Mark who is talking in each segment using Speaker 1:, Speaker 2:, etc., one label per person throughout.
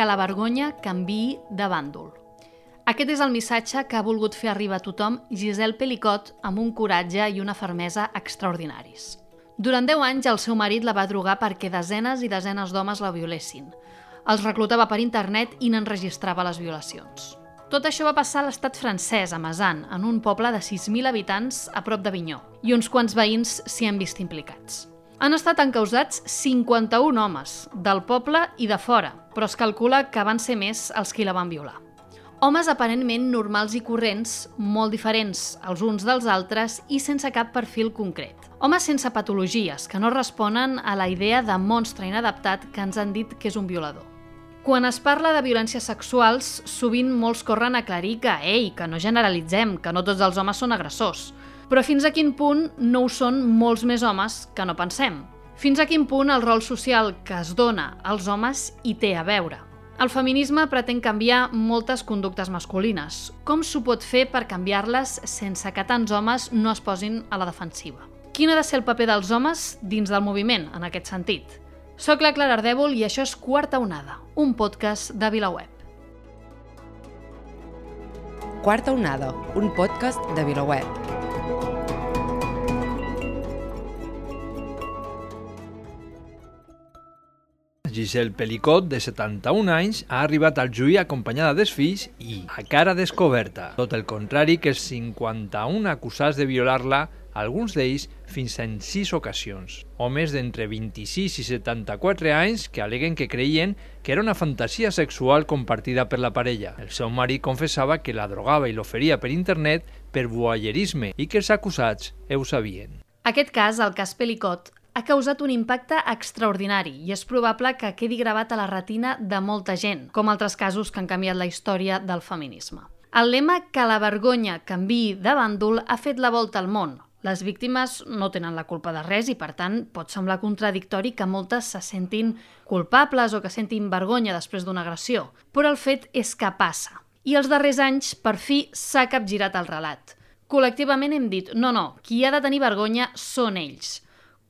Speaker 1: que la vergonya canviï de bàndol. Aquest és el missatge que ha volgut fer arribar a tothom Gisèle Pelicot amb un coratge i una fermesa extraordinaris. Durant 10 anys el seu marit la va drogar perquè desenes i desenes d'homes la violessin. Els reclutava per internet i n'enregistrava les violacions. Tot això va passar a l'estat francès, a Mazan, en un poble de 6.000 habitants a prop d'Avinyó, i uns quants veïns s'hi han vist implicats. Han estat encausats 51 homes, del poble i de fora, però es calcula que van ser més els qui la van violar. Homes aparentment normals i corrents, molt diferents els uns dels altres i sense cap perfil concret. Homes sense patologies, que no responen a la idea de monstre inadaptat que ens han dit que és un violador. Quan es parla de violències sexuals, sovint molts corren a aclarir que no generalitzem, que no tots els homes són agressors. Però fins a quin punt no ho són molts més homes que no pensem? Fins a quin punt el rol social que es dona als homes hi té a veure? El feminisme pretén canviar moltes conductes masculines. Com s'ho pot fer per canviar-les sense que tants homes no es posin a la defensiva? Quin ha de ser el paper dels homes dins del moviment, en aquest sentit? Soc la Clara Ardèvol i això és Quarta Onada, un podcast de VilaWeb.
Speaker 2: Quarta Onada, un podcast de VilaWeb.
Speaker 3: Gisèle Pelicot, de 71 anys, ha arribat al juí acompanyada dels fills i a cara descoberta. Tot el contrari que els 51 acusats de violar-la, alguns d'ells fins en 6 ocasions. Homes d'entre 26 i 74 anys que aleguen que creien que era una fantasia sexual compartida per la parella. El seu marit confessava que la drogava i l'oferia per internet per voyeurisme i que els acusats ho sabien.
Speaker 1: Aquest cas, el cas Pelicot, ha causat un impacte extraordinari i és probable que quedi gravat a la retina de molta gent, com altres casos que han canviat la història del feminisme. El lema que la vergonya canviï de bàndol ha fet la volta al món. Les víctimes no tenen la culpa de res i, per tant, pot semblar contradictori que moltes se sentin culpables o que sentin vergonya després d'una agressió. Però el fet és que passa. I els darrers anys, per fi, s'ha capgirat el relat. Col·lectivament hem dit, no, qui ha de tenir vergonya són ells.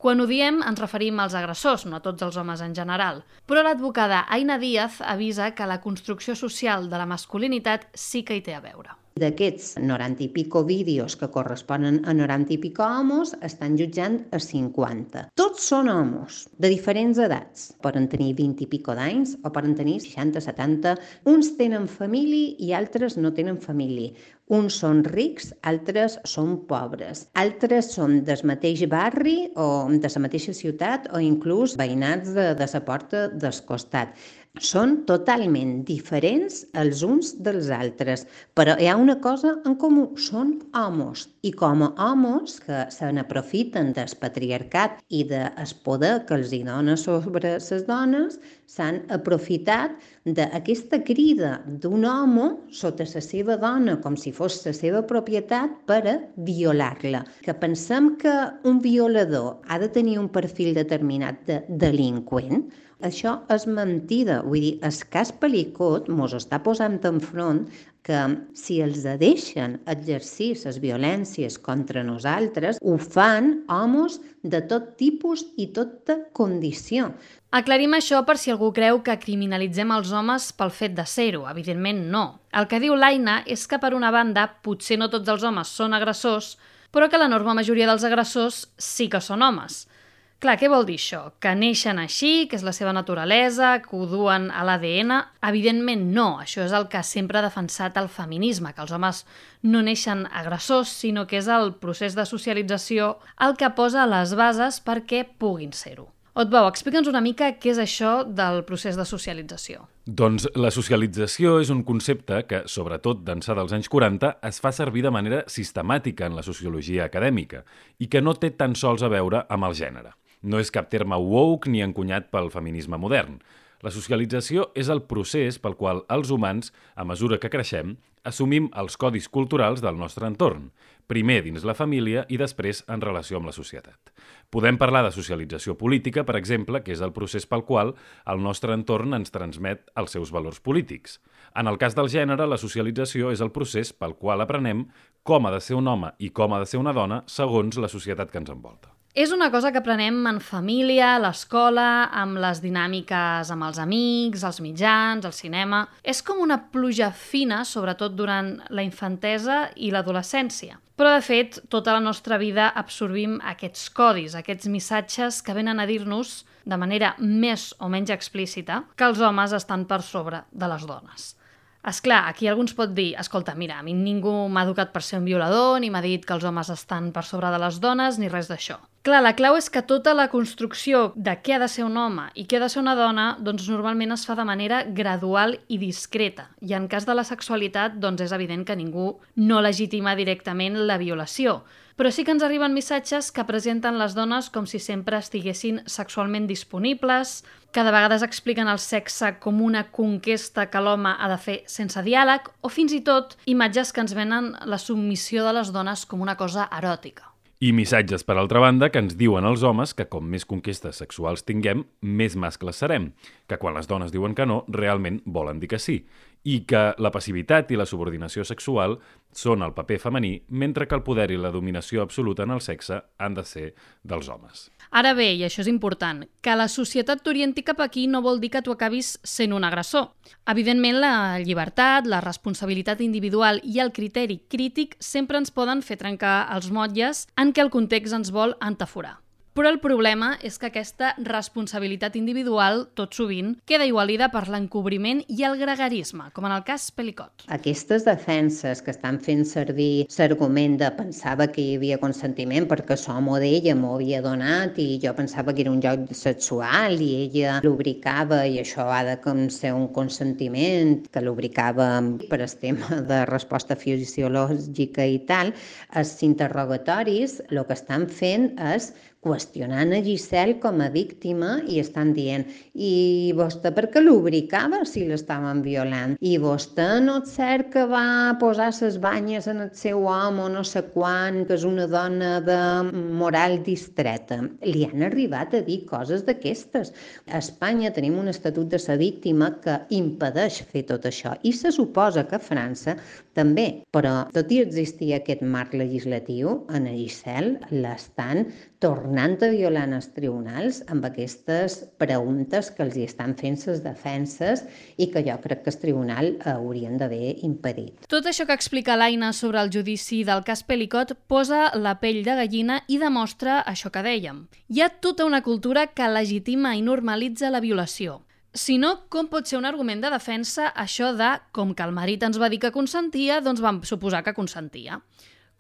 Speaker 1: Quan ho diem ens referim als agressors, no a tots els homes en general. Però l'advocada Aina Díaz avisa que la construcció social de la masculinitat sí que hi té a veure.
Speaker 4: D'aquests 90 i pico vídeos que corresponen a 90 i pico homos, estan jutjant a 50. Tots són homos, de diferents edats. Poden tenir 20 i pico d'anys o poden tenir 60, 70. Uns tenen família i altres no tenen família. Uns són rics, altres són pobres. Altres són del mateix barri o de la mateixa ciutat o inclús veïnats de la porta del costat. Són totalment diferents els uns dels altres, però hi ha una cosa en comú, són homes. I com a homes que se n'aprofiten del patriarcat i del poder que els dona sobre les dones, s'han aprofitat d'aquesta crida d'un home sota la seva dona, com si fos la seva propietat, per a violar-la. Que pensem que un violador ha de tenir un perfil determinat de delinqüent, això és mentida. Vull dir, el cas Pelicot mos està posant enfront que si els deixen exercir les violències contra nosaltres, ho fan homes de tot tipus i tota condició.
Speaker 1: Aclarim això per si algú creu que criminalitzem els homes pel fet de ser-ho. Evidentment no. El que diu l'Aina és que, per una banda, potser no tots els homes són agressors, però que l'enorme majoria dels agressors sí que són homes. Clar, què vol dir això? Que neixen així, que és la seva naturalesa, que ho duen a l'ADN? Evidentment no, això és el que sempre ha defensat el feminisme, que els homes no neixen agressors, sinó que és el procés de socialització el que posa les bases perquè puguin ser-ho. Otbau, explica'ns una mica què és això del procés de socialització.
Speaker 5: Doncs la socialització és un concepte que, sobretot d'ençà dels anys 40, es fa servir de manera sistemàtica en la sociologia acadèmica i que no té tan sols a veure amb el gènere. No és cap terme woke ni encunyat pel feminisme modern. La socialització és el procés pel qual els humans, a mesura que creixem, assumim els codis culturals del nostre entorn, primer dins la família i després en relació amb la societat. Podem parlar de socialització política, per exemple, que és el procés pel qual el nostre entorn ens transmet els seus valors polítics. En el cas del gènere, la socialització és el procés pel qual aprenem com ha de ser un home i com ha de ser una dona segons la societat que ens envolta.
Speaker 1: És una cosa que aprenem en família, a l'escola, amb les dinàmiques amb els amics, els mitjans, el cinema. És com una pluja fina, sobretot durant la infantesa i l'adolescència. Però, de fet, tota la nostra vida absorbim aquests codis, aquests missatges que venen a dir-nos, de manera més o menys explícita, que els homes estan per sobre de les dones. Esclar, aquí algú ens pot dir, escolta, mira, a mi ningú m'ha educat per ser un violador, ni m'ha dit que els homes estan per sobre de les dones, ni res d'això. Clar, la clau és que tota la construcció de què ha de ser un home i què ha de ser una dona, doncs normalment es fa de manera gradual i discreta. I en cas de la sexualitat, doncs és evident que ningú no legitima directament la violació. Però sí que ens arriben missatges que presenten les dones com si sempre estiguessin sexualment disponibles, que de vegades expliquen el sexe com una conquesta que l'home ha de fer sense diàleg, o fins i tot imatges que ens venen la submissió de les dones com una cosa eròtica.
Speaker 5: I missatges, per altra banda, que ens diuen els homes que com més conquestes sexuals tinguem, més mascles serem, que quan les dones diuen que no, realment volen dir que sí, i que la passivitat i la subordinació sexual són el paper femení, mentre que el poder i la dominació absoluta en el sexe han de ser dels homes.
Speaker 1: Ara bé, i això és important, que la societat t'orienti cap aquí no vol dir que tu acabis sent un agressor. Evidentment, la llibertat, la responsabilitat individual i el criteri crític sempre ens poden fer trencar els motlles en què el context ens vol entaforar. Però el problema és que aquesta responsabilitat individual, tot sovint, queda igualida per l'encobriment i el gregarisme, com en el cas Pelicot.
Speaker 4: Aquestes defenses que estan fent servir l'argument de pensava que hi havia consentiment perquè l'home d'ella m'ho havia donat i jo pensava que era un joc sexual i ella lubricava i això ha de ser un consentiment que lubricava per el tema de resposta fisiològica i tal, els interrogatoris el que estan fent és qüestionant a Giselle com a víctima i estan dient i vostè per què lubricava si l'estaven violant? I vostè no és cert que va posar les banyes en el seu home o no sé quan, que és una dona de moral distreta. Li han arribat a dir coses d'aquestes. A Espanya tenim un estatut de la víctima que impedeix fer tot això i se suposa que a França també, però tot i existir aquest marc legislatiu, a Giselle l'estan tornant a violar en els tribunals amb aquestes preguntes que els hi estan fent les defenses i que jo crec que el tribunal haurien d'haver impedit.
Speaker 1: Tot això que explica l'Aina sobre el judici del cas Pelicot posa la pell de gallina i demostra això que dèiem. Hi ha tota una cultura que legitima i normalitza la violació. Si no, com pot ser un argument de defensa això de com que el marit ens va dir que consentia, doncs vam suposar que consentia.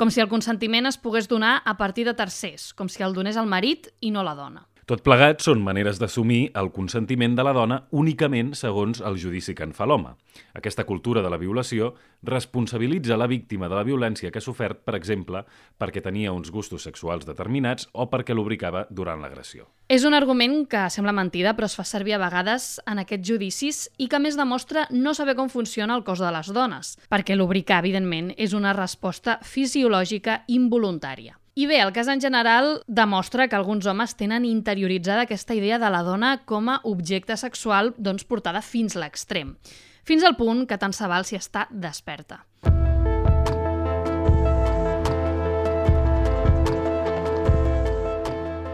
Speaker 1: Com si el consentiment es pogués donar a partir de tercers, com si el donés el marit i no la dona.
Speaker 5: Tot plegat són maneres d'assumir el consentiment de la dona únicament segons el judici que en fa l'home. Aquesta cultura de la violació responsabilitza la víctima de la violència que ha sofert, per exemple, perquè tenia uns gustos sexuals determinats o perquè lubricava durant l'agressió.
Speaker 1: És un argument que sembla mentida, però es fa servir a vegades en aquests judicis i que a més demostra no saber com funciona el cos de les dones, perquè lubricar, evidentment, és una resposta fisiològica involuntària. I bé, el cas en general demostra que alguns homes tenen interioritzada aquesta idea de la dona com a objecte sexual portada fins l'extrem, fins al punt que tant se val si està desperta.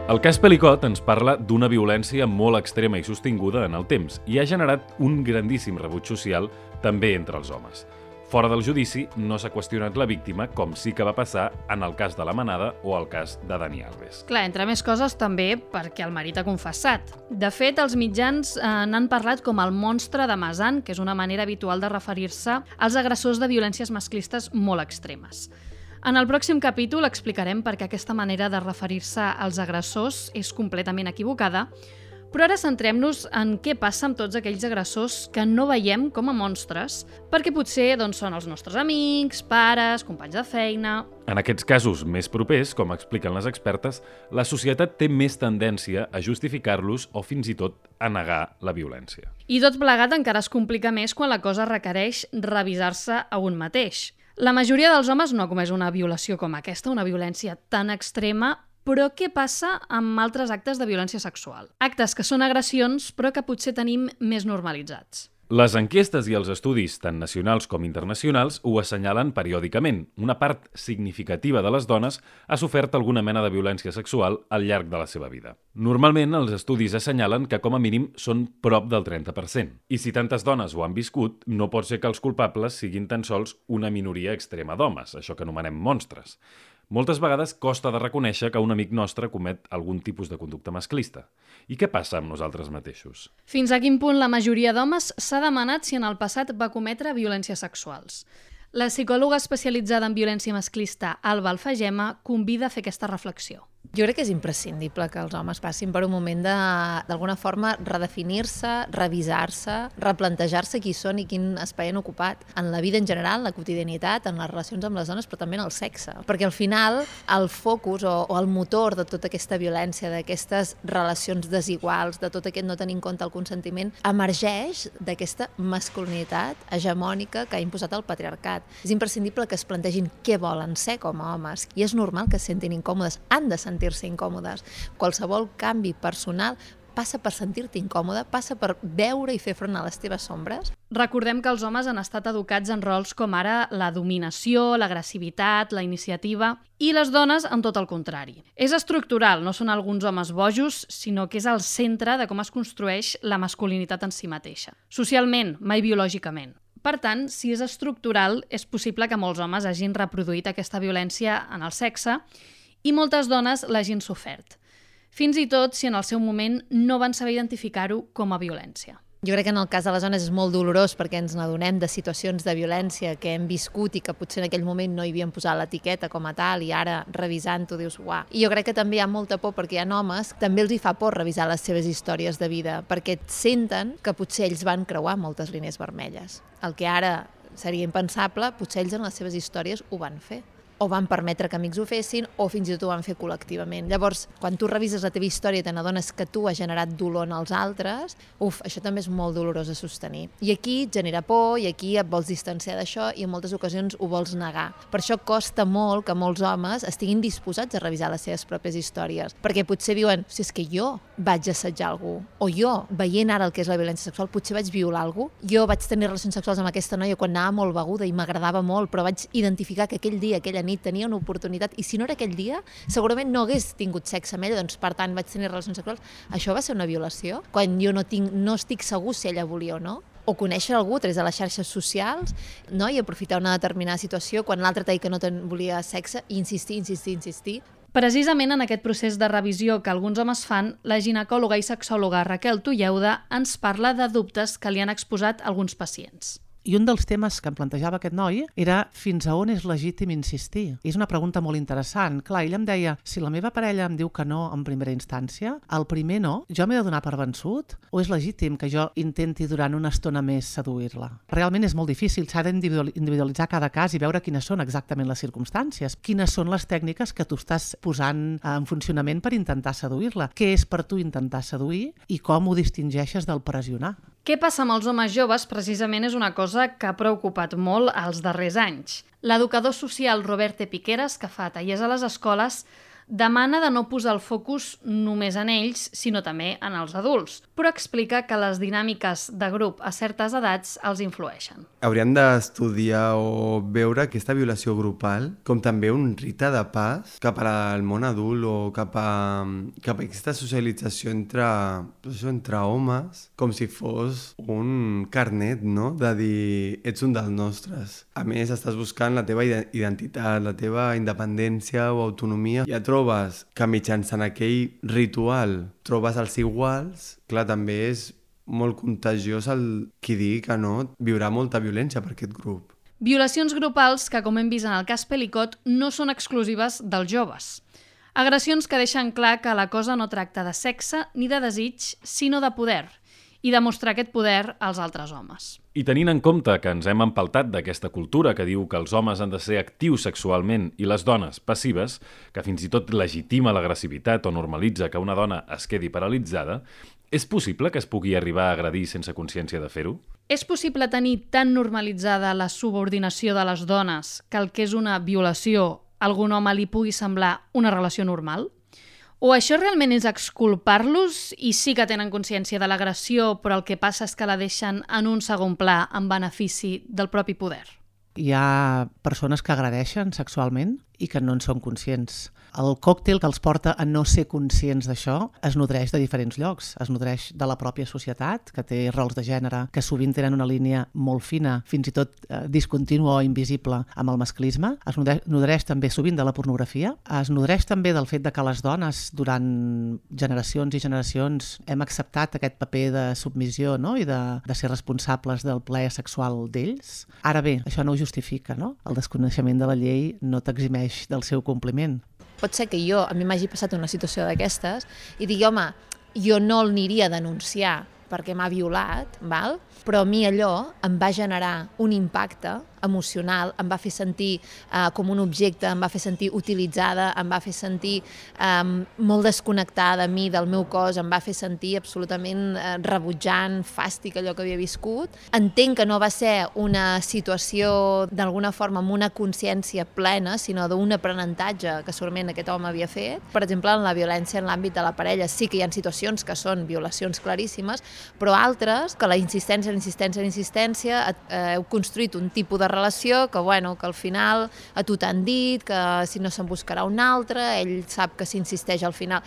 Speaker 5: El cas Pelicot ens parla d'una violència molt extrema i sostinguda en el temps i ha generat un grandíssim rebuig social també entre els homes. Fora del judici, no s'ha qüestionat la víctima, com sí que va passar en el cas de la Manada o el cas de Dani Alves.
Speaker 1: Clar, entre més coses també perquè el marit ha confessat. De fet, els mitjans n'han parlat com el monstre de Masan, que és una manera habitual de referir-se als agressors de violències masclistes molt extremes. En el pròxim capítol explicarem per què aquesta manera de referir-se als agressors és completament equivocada, però ara centrem-nos en què passa amb tots aquells agressors que no veiem com a monstres, perquè potser són els nostres amics, pares, companys de feina...
Speaker 5: En aquests casos més propers, com expliquen les expertes, la societat té més tendència a justificar-los o fins i tot a negar la violència.
Speaker 1: I tot plegat encara es complica més quan la cosa requereix revisar-se a un mateix. La majoria dels homes no ha comès una violació com aquesta, una violència tan extrema. Però què passa amb altres actes de violència sexual? Actes que són agressions, però que potser tenim més normalitzats.
Speaker 5: Les enquestes i els estudis, tant nacionals com internacionals, ho assenyalen periòdicament. Una part significativa de les dones ha sofert alguna mena de violència sexual al llarg de la seva vida. Normalment, els estudis assenyalen que com a mínim són prop del 30%. I si tantes dones ho han viscut, no pot ser que els culpables siguin tan sols una minoria extrema d'homes, això que anomenem monstres. Moltes vegades costa de reconèixer que un amic nostre comet algun tipus de conducta masclista. I què passa amb nosaltres mateixos?
Speaker 1: Fins a quin punt la majoria d'homes s'ha demanat si en el passat va cometre violències sexuals? La psicòloga especialitzada en violència masclista, Alba Alfagema, convida a fer aquesta reflexió.
Speaker 6: Jo crec que és imprescindible que els homes passin per un moment d'alguna forma redefinir-se, revisar-se, replantejar-se qui són i quin espai han ocupat en la vida en general, en la quotidianitat, en les relacions amb les dones, però també en el sexe. Perquè al final el focus o el motor de tota aquesta violència, d'aquestes relacions desiguals, de tot aquest no tenir en compte el consentiment, emergeix d'aquesta masculinitat hegemònica que ha imposat el patriarcat. És imprescindible que es plantegin què volen ser com a homes i és normal que es sentin incòmodes, han de sentir-se incòmodes. Qualsevol canvi personal passa per sentir-te incòmode, passa per veure i fer front a les teves sombres.
Speaker 1: Recordem que els homes han estat educats en rols com ara la dominació, l'agressivitat, la iniciativa, i les dones en tot el contrari. És estructural, no són alguns homes bojos, sinó que és el centre de com es construeix la masculinitat en si mateixa. Socialment, mai biològicament. Per tant, si és estructural, és possible que molts homes hagin reproduït aquesta violència en el sexe i moltes dones l'hagin sofert. Fins i tot si en el seu moment no van saber identificar-ho com a violència.
Speaker 6: Jo crec que en el cas de les dones és molt dolorós perquè ens n'adonem de situacions de violència que hem viscut i que potser en aquell moment no hi havien posat l'etiqueta com a tal i ara revisant-ho dius uah. I jo crec que també hi ha molta por perquè hi ha homes que també els hi fa por revisar les seves històries de vida perquè senten que potser ells van creuar moltes línies vermelles. El que ara seria impensable, potser ells en les seves històries ho van fer. O van permetre que amics ho fessin, o fins i tot ho van fer col·lectivament. Llavors, quan tu revises la teva història i te n'adones que tu has generat dolor en els altres, això també és molt dolorós de sostenir. I aquí et genera por, i aquí et vols distanciar d'això, i en moltes ocasions ho vols negar. Per això costa molt que molts homes estiguin disposats a revisar les seves pròpies històries, perquè potser diuen, si és que jo vaig assetjar algú, o jo, veient ara el que és la violència sexual, potser vaig violar algú, jo vaig tenir relacions sexuals amb aquesta noia quan anava molt beguda i m'agradava molt, però vaig identificar que aquell dia, aquella nit tenia una oportunitat i si no era aquell dia segurament no hagués tingut sexe amb ella, doncs per tant vaig tenir relacions sexuals. Això va ser una violació? Quan jo no estic segur si ella volia o no? O conèixer algú a través de les xarxes socials, no? I aprofitar una determinada situació quan l'altre t'ha dit que no volia sexe i insistir.
Speaker 1: Precisament en aquest procés de revisió que alguns homes fan, la ginecòloga i sexòloga Raquel Tulleuda ens parla de dubtes que li han exposat alguns pacients.
Speaker 7: I un dels temes que em plantejava aquest noi era fins a on és legítim insistir. I és una pregunta molt interessant. Clar, ell em deia, si la meva parella em diu que no en primera instància, el primer no, jo m'he de donar per vençut? O és legítim que jo intenti durant una estona més seduir-la? Realment és molt difícil, s'ha d'individualitzar cada cas i veure quines són exactament les circumstàncies, quines són les tècniques que tu estàs posant en funcionament per intentar seduir-la, què és per tu intentar seduir i com ho distingeixes del pressionar.
Speaker 1: Què passa amb els homes joves precisament és una cosa que ha preocupat molt els darrers anys. L'educador social Robert Piqueras, que fa tallers a les escoles, demana de no posar el focus només en ells, sinó també en els adults, però explica que les dinàmiques de grup a certes edats els influeixen.
Speaker 8: Hauríem d'estudiar o veure aquesta violació grupal com també un rite de pas cap al món adult o cap a aquesta socialització entre homes, com si fos un carnet, no? De dir, ets un dels nostres. A més, estàs buscant la teva identitat, la teva independència o autonomia. Ja trobes que mitjançant aquell ritual trobes els iguals, clar, també és molt contagiós el qui digui que no, viurà molta violència per aquest grup.
Speaker 1: Violacions grupals que, com hem vist en el cas Pelicot, no són exclusives dels joves. Agressions que deixen clar que la cosa no tracta de sexe ni de desig, sinó de poder, i demostrar aquest poder als altres homes.
Speaker 5: I tenint en compte que ens hem empaltat d'aquesta cultura que diu que els homes han de ser actius sexualment i les dones passives, que fins i tot legitima l'agressivitat o normalitza que una dona es quedi paralitzada, és possible que es pugui arribar a agredir sense consciència de fer-ho?
Speaker 1: És possible tenir tan normalitzada la subordinació de les dones que el que és una violació a algun home li pugui semblar una relació normal? O això realment és exculpar-los i sí que tenen consciència de l'agressió, però el que passa és que la deixen en un segon pla en benefici del propi poder?
Speaker 7: Hi ha persones que agredeixen sexualment i que no en són conscients. El còctel que els porta a no ser conscients d'això es nodreix de diferents llocs. Es nodreix de la pròpia societat, que té rols de gènere que sovint tenen una línia molt fina, fins i tot discontínua o invisible amb el masclisme. Es nodreix també sovint de la pornografia. Es nodreix també del fet de que les dones durant generacions i generacions hem acceptat aquest paper de submissió, no? I de ser responsables del plaer sexual d'ells. Ara bé, això no ho justifica, no? El desconeixement de la llei no t'eximeix del seu compliment.
Speaker 6: Pot ser que a mi m'hagi passat una situació d'aquestes i digui, home, jo no l'aniria a denunciar perquè m'ha violat, val? Però a mi allò em va generar un impacte emocional, em va fer sentir com un objecte, em va fer sentir utilitzada, em va fer sentir molt desconnectada a mi del meu cos, em va fer sentir absolutament rebutjant, fàstic allò que havia viscut. Entenc que no va ser una situació d'alguna forma amb una consciència plena, sinó d'un aprenentatge que segurament aquest home havia fet. Per exemple, en la violència en l'àmbit de la parella sí que hi ha situacions que són violacions claríssimes, però altres que la insistència, heu construït un tipus de relació que al final a tu t'han dit que si no se'n buscarà un altre, ell sap que s'insisteix al final.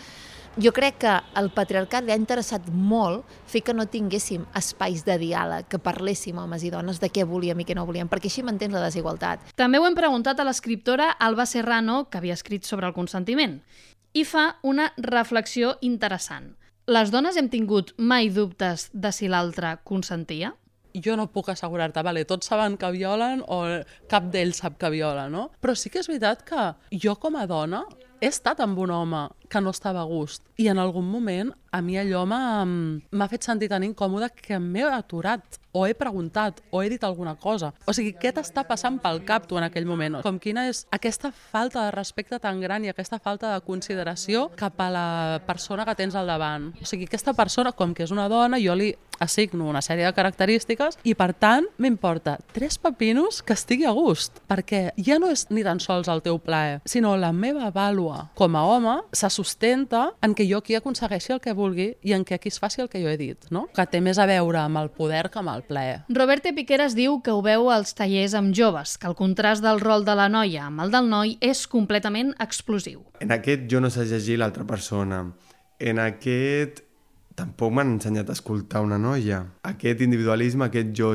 Speaker 6: Jo crec que al patriarcat li ha interessat molt fer que no tinguéssim espais de diàleg, que parléssim homes i dones de què volíem i què no volíem, perquè així mantens la desigualtat.
Speaker 1: També ho hem preguntat a l'escriptora Alba Serrano, que havia escrit sobre el consentiment, i fa una reflexió interessant. Les dones hem tingut mai dubtes de si l'altre consentia?
Speaker 9: Jo no puc assegurar-te, tots saben que violen o cap d'ells sap que viola, no? Però sí que és veritat que jo com a dona he estat amb un home que no estava a gust i en algun moment a mi allò m'ha fet sentir tan incòmode que m'he aturat o he preguntat o he dit alguna cosa. O sigui, què t'està passant pel cap tu en aquell moment? Com quina és aquesta falta de respecte tan gran i aquesta falta de consideració cap a la persona que tens al davant. O sigui, aquesta persona, com que és una dona, jo li assigno una sèrie de característiques i, per tant, m'importa 3 pepinos que estigui a gust, perquè ja no és ni tan sols el teu plaer, sinó la meva vàlua com a home se sustenta en què jo aquí aconsegueixi el que vulgui i en què aquí es faci el que jo he dit, no? Que té més a veure amb el poder que amb el plaer.
Speaker 1: Roberte Piqueras diu que ho veu als tallers amb joves, que el contrast del rol de la noia amb el del noi és completament explosiu.
Speaker 8: En aquest jo no sé llegir l'altra persona. En aquest tampoc m'han ensenyat a escoltar una noia. Aquest individualisme, aquest jo.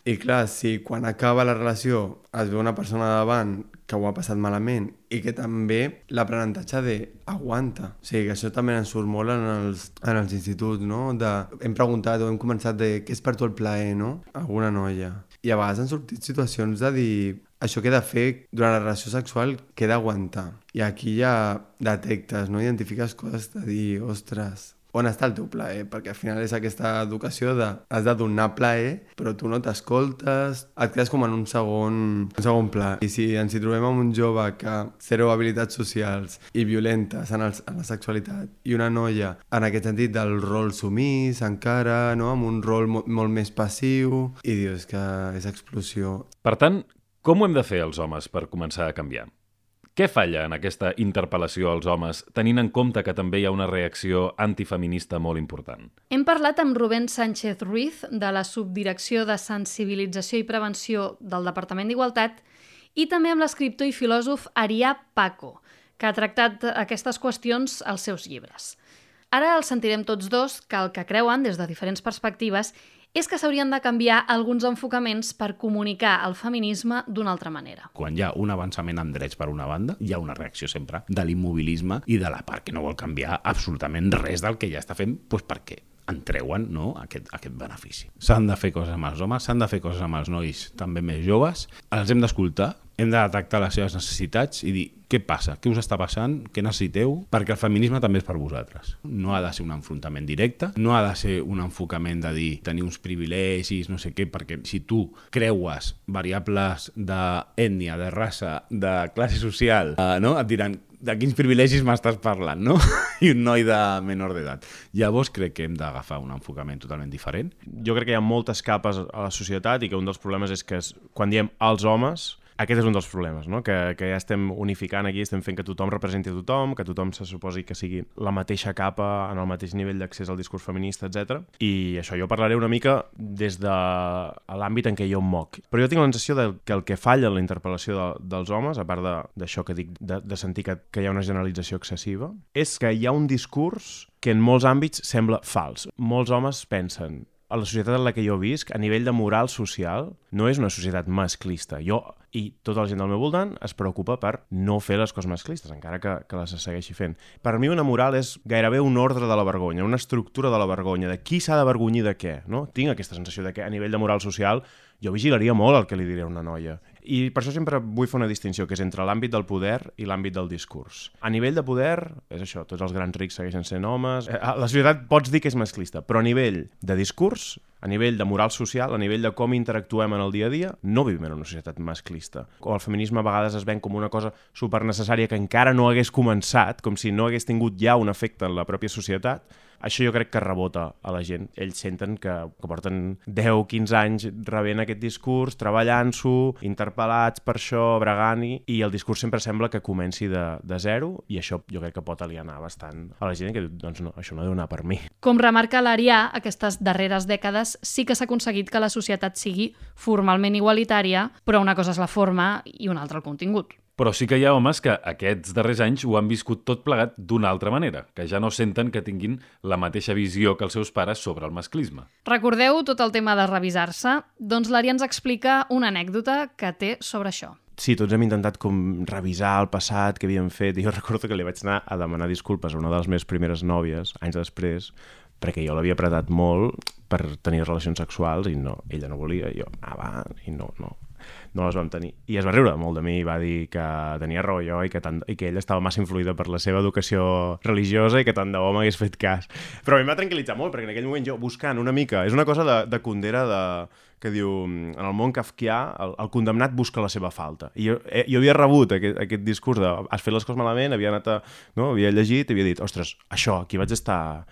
Speaker 8: I clar, si quan acaba la relació es veu una persona davant que ho ha passat malament i que també l'aprenentatge d'aguanta. O sigui, que això també ens surt molt en els instituts, no? Hem preguntat o hem començat de què és per tu el plaer, no? Alguna noia. I a vegades han sortit situacions de dir això que he de fer durant la relació sexual que he d'aguantar. I aquí ja detectes, no? Identifiques coses de dir, ostres, on està el teu plaer? Perquè al final és aquesta educació de has de donar plaer, però tu no t'escoltes, et quedes com en un segon pla. I si ens hi trobem amb un jove que zero habilitats socials i violentes en la sexualitat i una noia en aquest sentit del rol sumís encara, no? Amb un rol molt més passiu, i dius que és explosió.
Speaker 5: Per tant, com ho hem de fer els homes per començar a canviar? Què falla en aquesta interpel·lació als homes, tenint en compte que també hi ha una reacció antifeminista molt important?
Speaker 1: Hem parlat amb Rubén Sánchez Ruiz, de la Subdirecció de Sensibilització i Prevenció del Departament d'Igualtat, i també amb l'escriptor i filòsof Arià Paco, que ha tractat aquestes qüestions als seus llibres. Ara els sentirem tots dos, que el que creuen, des de diferents perspectives, és que s'haurien de canviar alguns enfocaments per comunicar el feminisme d'una altra manera.
Speaker 10: Quan hi ha un avançament en drets per una banda, hi ha una reacció sempre de l'immobilisme i de la part que no vol canviar absolutament res del que ja està fent, doncs perquè en treuen, no, aquest benefici. S'han de fer coses amb els homes, s'han de fer coses amb els nois també més joves, els hem d'escoltar, hem de detectar les seves necessitats i dir què passa, què us està passant, què necessiteu, perquè el feminisme també és per vosaltres. No ha de ser un enfrontament directe, no ha de ser un enfocament de dir tenir uns privilegis, no sé què, perquè si tu creues variables d'ètnia, de raça, de classe social, no? Et diran de quins privilegis m'estàs parlant, no? I un noi de menor d'edat. Llavors crec que hem d'agafar un enfocament totalment diferent.
Speaker 11: Jo crec que hi ha moltes capes a la societat i que un dels problemes és que quan diem els homes Aquest és un dels problemes, no? Que ja estem unificant aquí, estem fent que tothom representi a tothom, que tothom se suposi que sigui la mateixa capa, en el mateix nivell d'accés al discurs feminista, etc. I això jo parlaré una mica des de l'àmbit en què jo em moc. Però jo tinc la sensació que el que falla en la interpel·lació dels homes, a part d'això que dic, de sentir que hi ha una generalització excessiva, és que hi ha un discurs que en molts àmbits sembla fals. Molts homes pensen, a la societat en la que jo visc, a nivell de moral social, no és una societat masclista. Jo i tota la gent del meu voltant es preocupa per no fer les coses masclistes, encara que les segueixi fent. Per mi una moral és gairebé un ordre de la vergonya, una estructura de la vergonya, de qui s'ha d'avergonyir de què, no? Tinc aquesta sensació de que a nivell de moral social jo vigilaria molt el que li diré a una noia. I per això sempre vull fer una distinció, que és entre l'àmbit del poder i l'àmbit del discurs. A nivell de poder, és això, tots els grans rics segueixen sent homes. La societat pots dir que és masclista, però a nivell de discurs, a nivell de moral social, a nivell de com interactuem en el dia a dia, no vivim en una societat masclista. O el feminisme a vegades es ven com una cosa supernecessària que encara no hagués començat, com si no hagués tingut ja un efecte en la pròpia societat. Això jo crec que rebota a la gent. Ells senten que porten 10-15 anys rebent aquest discurs, treballant-s'ho, interpel·lats per això, bregant-hi, i el discurs sempre sembla que comenci de zero, i això jo crec que pot alienar bastant a la gent que diu, doncs no, això no deu anar per mi.
Speaker 1: Com remarca l'Arià, aquestes darreres dècades sí que s'ha aconseguit que la societat sigui formalment igualitària, però una cosa és la forma i una altra el contingut.
Speaker 5: Però sí que hi ha homes que aquests darrers anys ho han viscut tot plegat d'una altra manera, que ja no senten que tinguin la mateixa visió que els seus pares sobre el masclisme.
Speaker 1: Recordeu tot el tema de revisar-se? Doncs l'Arià ens explica una anècdota que té sobre això.
Speaker 11: Sí, tots hem intentat com revisar el passat que havíem fet, i jo recordo que li vaig anar a demanar disculpes a una de les meves primeres nòvies, anys després, perquè jo l'havia apretat molt per tenir relacions sexuals i no, ella no volia, i jo i no les vam tenir. I es va riure molt de mi i va dir que tenia raó jo i que ella estava massa influïda per la seva educació religiosa i que tant de bo m'hagués fet cas. Però a mi em va tranquil·litzar molt, perquè en aquell moment jo buscant una mica, és una cosa de Kundera que diu, en el món kafkià, el condemnat busca la seva falta. I jo havia rebut aquest discurs de has fet les coses malament, havia llegit i havia dit, ostres, això, aquí vaig estar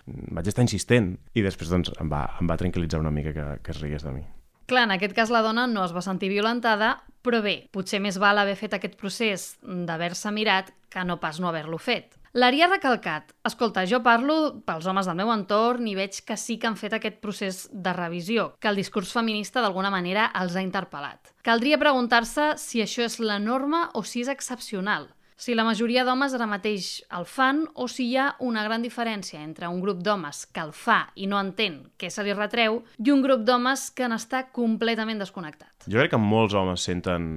Speaker 11: insistent. I després doncs, em va tranquil·litzar una mica que es rigués de mi.
Speaker 1: Clar, en aquest cas la dona no es va sentir violentada, però bé, potser més val haver fet aquest procés d'haver-se mirat que no pas no haver-lo fet. L'Arià ha recalcat, escolta, jo parlo pels homes del meu entorn i veig que sí que han fet aquest procés de revisió, que el discurs feminista d'alguna manera els ha interpel·lat. Caldria preguntar-se si això és la norma o si és excepcional. Si la majoria d'homes ara mateix el fan o si hi ha una gran diferència entre un grup d'homes que el fa i no entén què se li retreu i un grup d'homes que n'està completament desconnectat.
Speaker 11: Jo crec que molts homes senten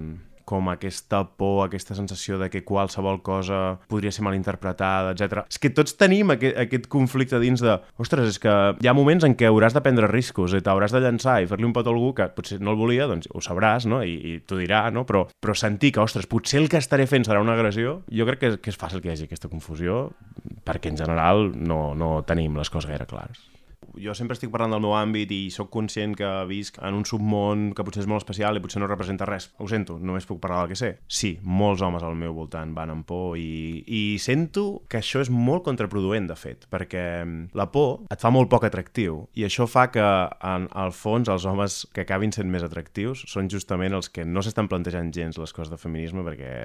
Speaker 11: com aquesta por, aquesta sensació de que qualsevol cosa podria ser malinterpretada, etc. És que tots tenim aquest conflicte dins de ostres, és que hi ha moments en què hauràs de prendre riscos i t'hauràs de llançar i fer-li un pot a algú que potser no el volia, doncs ho sabràs, no? I t'ho dirà, no? Però sentir que, ostres, potser el que estaré fent serà una agressió, jo crec que és fàcil que hi hagi aquesta confusió perquè en general no tenim les coses gaire clares. Jo sempre estic parlant del meu àmbit i sóc conscient que visc en un submón que potser és molt especial i potser no representa res. Ho sento, només puc parlar del que sé. Sí, molts homes al meu voltant van amb por i sento que això és molt contraproduent, de fet, perquè la por et fa molt poc atractiu i això fa que, en el fons, els homes que acabin sent més atractius són justament els que no s'estan plantejant gens les coses de feminisme perquè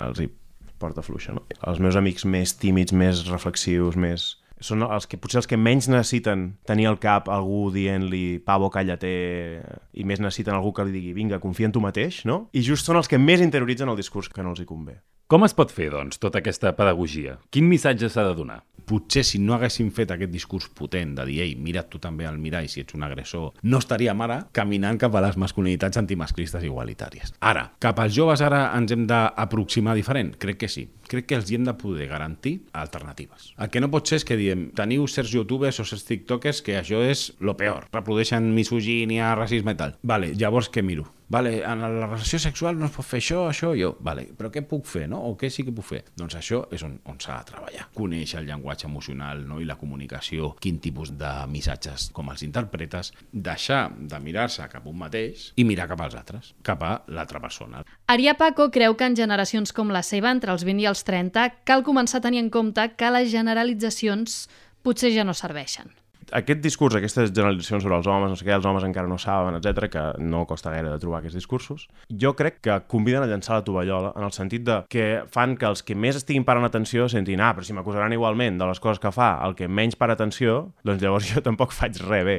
Speaker 11: els hi porta fluixa, no? Els meus amics més tímids, més reflexius, són potser els que menys necessiten tenir al cap algú dient-li pavo, cállate, i més necessiten algú que li digui vinga, confia en tu mateix, no? I just són els que més interioritzen el discurs que no els hi convé.
Speaker 5: Com es pot fer, doncs, tota aquesta pedagogia? Quin missatge s'ha de donar?
Speaker 10: Potser si no haguéssim fet aquest discurs potent de dir, ei, mira't tu també al mirall si ets un agressor, no estaríem ara caminant cap a les masculinitats antimasclistes igualitàries. Ara, cap als joves ara ens hem d'aproximar diferent? Crec que sí. Crec que els hi hem de poder garantir alternatives. El que no pot ser és que diem, teniu certs youtubers o certs tiktokers que això és lo peor, reprodueixen misogínia, racisme i tal. Vale, llavors què miro? Vale, en la relació sexual no es pot fer això, jo. Vale, però què puc fer, no? O què sí que puc fer? Doncs això és on s'ha de treballar. Conèixer el llenguatge emocional, no? I la comunicació, quin tipus de missatges, com els interpretes, deixar de mirar-se cap a un mateix i mirar cap als altres, cap a l'altra persona.
Speaker 1: Arià Paco creu que en generacions com la seva, entre els 20 i els 30, cal començar a tenir en compte que les generalitzacions potser ja no serveixen.
Speaker 11: Aquest discurs, aquestes generalitzacions sobre els homes, no sé què, els homes encara no saben, etc, que no costa gaire de trobar aquests discursos, jo crec que conviden a llançar la tovallola en el sentit de que fan que els que més estiguin parant atenció sentin, però si m'acusaran igualment de les coses que fa el que menys para atenció, doncs llavors jo tampoc faig res bé.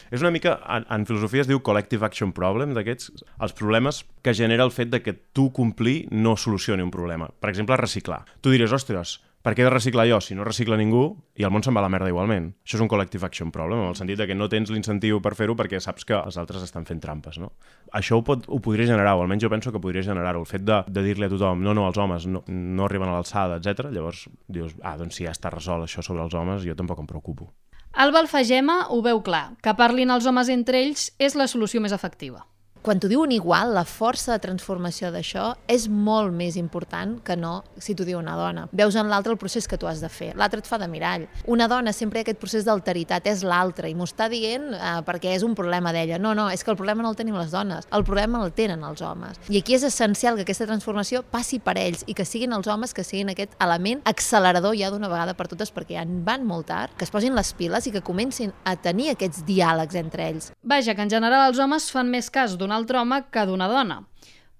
Speaker 11: És una mica, en filosofia es diu collective action problem, d'aquests, els problemes que genera el fet de que tu complir no solucioni un problema. Per exemple, reciclar. Tu diries, ostres, per què he de reciclar jo si no recicla ningú i el món se'n va a la merda igualment? Això és un collective action problem, en el sentit de que no tens l'incentiu per fer-ho perquè saps que els altres estan fent trampes, no? Això ho podria generar, o almenys jo penso que podria generar-ho, el fet de dir-li a tothom, no, els homes no arriben a l'alçada, etc. Llavors dius, doncs si ja està resolt això sobre els homes, jo tampoc em preocupo.
Speaker 1: Alba Alfagema ho veu clar, que parlin els homes entre ells és la solució més efectiva.
Speaker 6: Quan t'ho diuen igual, la força de transformació d'això és molt més important que no si t'ho diu una dona. Veus en l'altre el procés que tu has de fer. L'altre et fa de mirall. Una dona sempre hi ha aquest procés d'alteritat, és l'altre, i m'ho està dient perquè és un problema d'ella. No, és que el problema no el tenim les dones, el problema el tenen els homes. I aquí és essencial que aquesta transformació passi per ells i que siguin els homes que siguin aquest element accelerador ja d'una vegada per totes, perquè ja en van molt tard, que es posin les piles i que comencin a tenir aquests diàlegs entre ells.
Speaker 1: Vaja, que en general els homes fan més cas d'un altre home que d'una dona.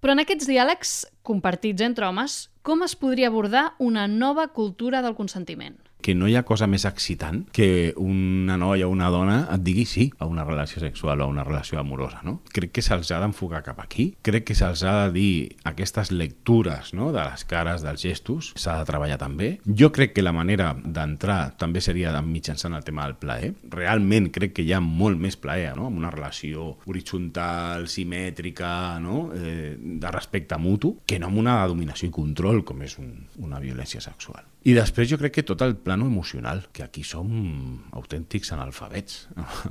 Speaker 1: Però en aquests diàlegs compartits entre homes, com es podria abordar una nova cultura del consentiment?
Speaker 10: Que no hi ha cosa més excitant que una noia o una dona et digui sí a una relació sexual o a una relació amorosa, no? Crec que se'ls ha d'enfocar cap aquí, crec que se'ls ha de dir aquestes lectures, no?, de les cares, dels gestos, s'ha de treballar també. Jo crec que la manera d'entrar també seria mitjançant el tema del plaer. Realment crec que hi ha molt més plaer, no?, amb una relació horitzontal, simètrica, no?, de respecte mutu, que no amb una dominació i control com és una violència sexual. I després jo crec que tot el plano emocional, que aquí som autèntics analfabets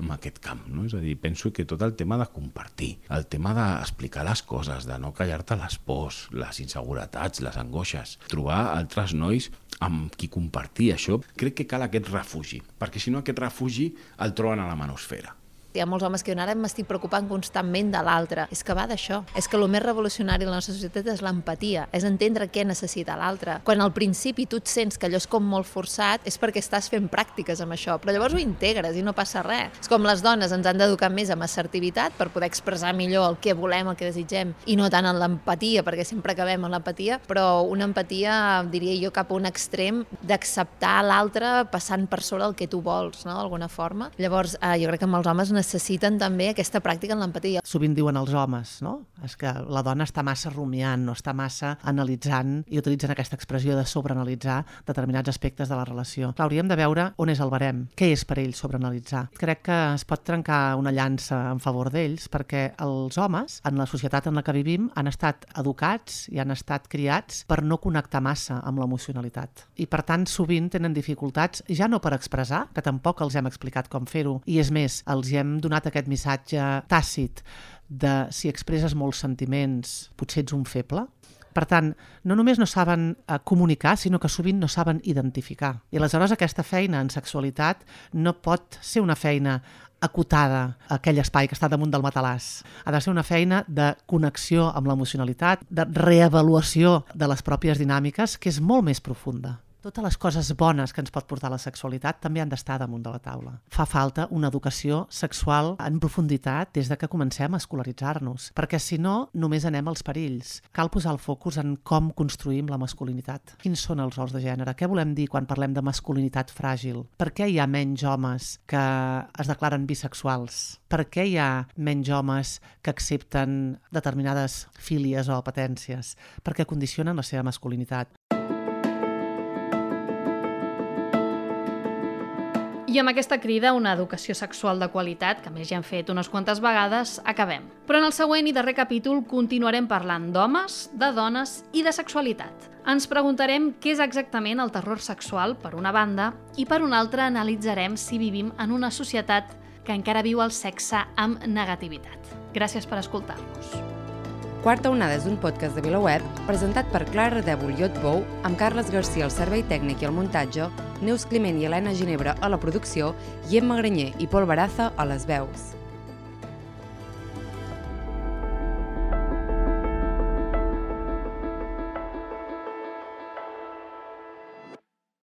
Speaker 10: en aquest camp, no? És a dir, penso que tot el tema de compartir, el tema d'explicar les coses, de no callar-te les pors, les inseguretats, les angoixes, trobar altres nois amb qui compartir això, crec que cal aquest refugi, perquè si no aquest refugi el troben a la manosfera.
Speaker 6: Hi ha molts homes que diuen, ara m'estic preocupant constantment de l'altre. És que va d'això. És que el més revolucionari de la nostra societat és l'empatia, és entendre què necessita l'altre. Quan al principi tu et sents que allò és com molt forçat, és perquè estàs fent pràctiques amb això, però llavors ho integres i no passa res. És com les dones ens han d'educar més en assertivitat per poder expressar millor el que volem, el que desitgem, i no tant en l'empatia, perquè sempre acabem en l'empatia, però una empatia, diria jo, cap a un extrem d'acceptar l'altre passant per sobre el que tu vols, no?, d'alguna forma. Llavors, jo crec que amb els homes necessiten també aquesta pràctica en l'empatia.
Speaker 7: Sovint diuen els homes, no?, és que la dona està massa rumiant, no està massa analitzant, i utilitzen aquesta expressió de sobreanalitzar determinats aspectes de la relació. Clar, hauríem de veure on és el barem, què és per ells sobreanalitzar. Crec que es pot trencar una llança en favor d'ells perquè els homes, en la societat en la que vivim, han estat educats i han estat criats per no connectar massa amb l'emocionalitat. I per tant, sovint tenen dificultats, ja no per expressar, que tampoc els hem explicat com fer-ho, i és més, els hem donat aquest missatge tàcit de si expresses molts sentiments, potser ets un feble. Per tant, no només no saben comunicar, sinó que sovint no saben identificar. I aleshores aquesta feina en sexualitat no pot ser una feina acotada a aquell espai que està damunt del matalàs. Ha de ser una feina de connexió amb l'emocionalitat, de reavaluació de les pròpies dinàmiques, que és molt més profunda. Totes les coses bones que ens pot portar la sexualitat també han d'estar damunt de la taula. Fa falta una educació sexual en profunditat des de que comencem a escolaritzar-nos, perquè si no, només anem als perills. Cal posar el focus en com construïm la masculinitat. Quins són els rols de gènere? Què volem dir quan parlem de masculinitat fràgil? Per què hi ha menys homes que es declaren bisexuals? Per què hi ha menys homes que accepten determinades fílies o apetències? Perquè condicionen la seva masculinitat.
Speaker 1: I amb aquesta crida a una educació sexual de qualitat, que més ja hem fet unes quantes vegades, acabem. Però en el següent i darrer capítol continuarem parlant d'homes, de dones i de sexualitat. Ens preguntarem què és exactament el terror sexual, per una banda, i per una altra analitzarem si vivim en una societat que encara viu el sexe amb negativitat. Gràcies per escoltar-nos.
Speaker 2: Quarta Onada és un podcast de VilaWeb presentat per Clara Dèbol i Otbou, amb Carles Garcia al servei tècnic i al muntatge, Neus Climent i Helena Ginebra a la producció i Emma Granyer i Pol Baraza a les veus.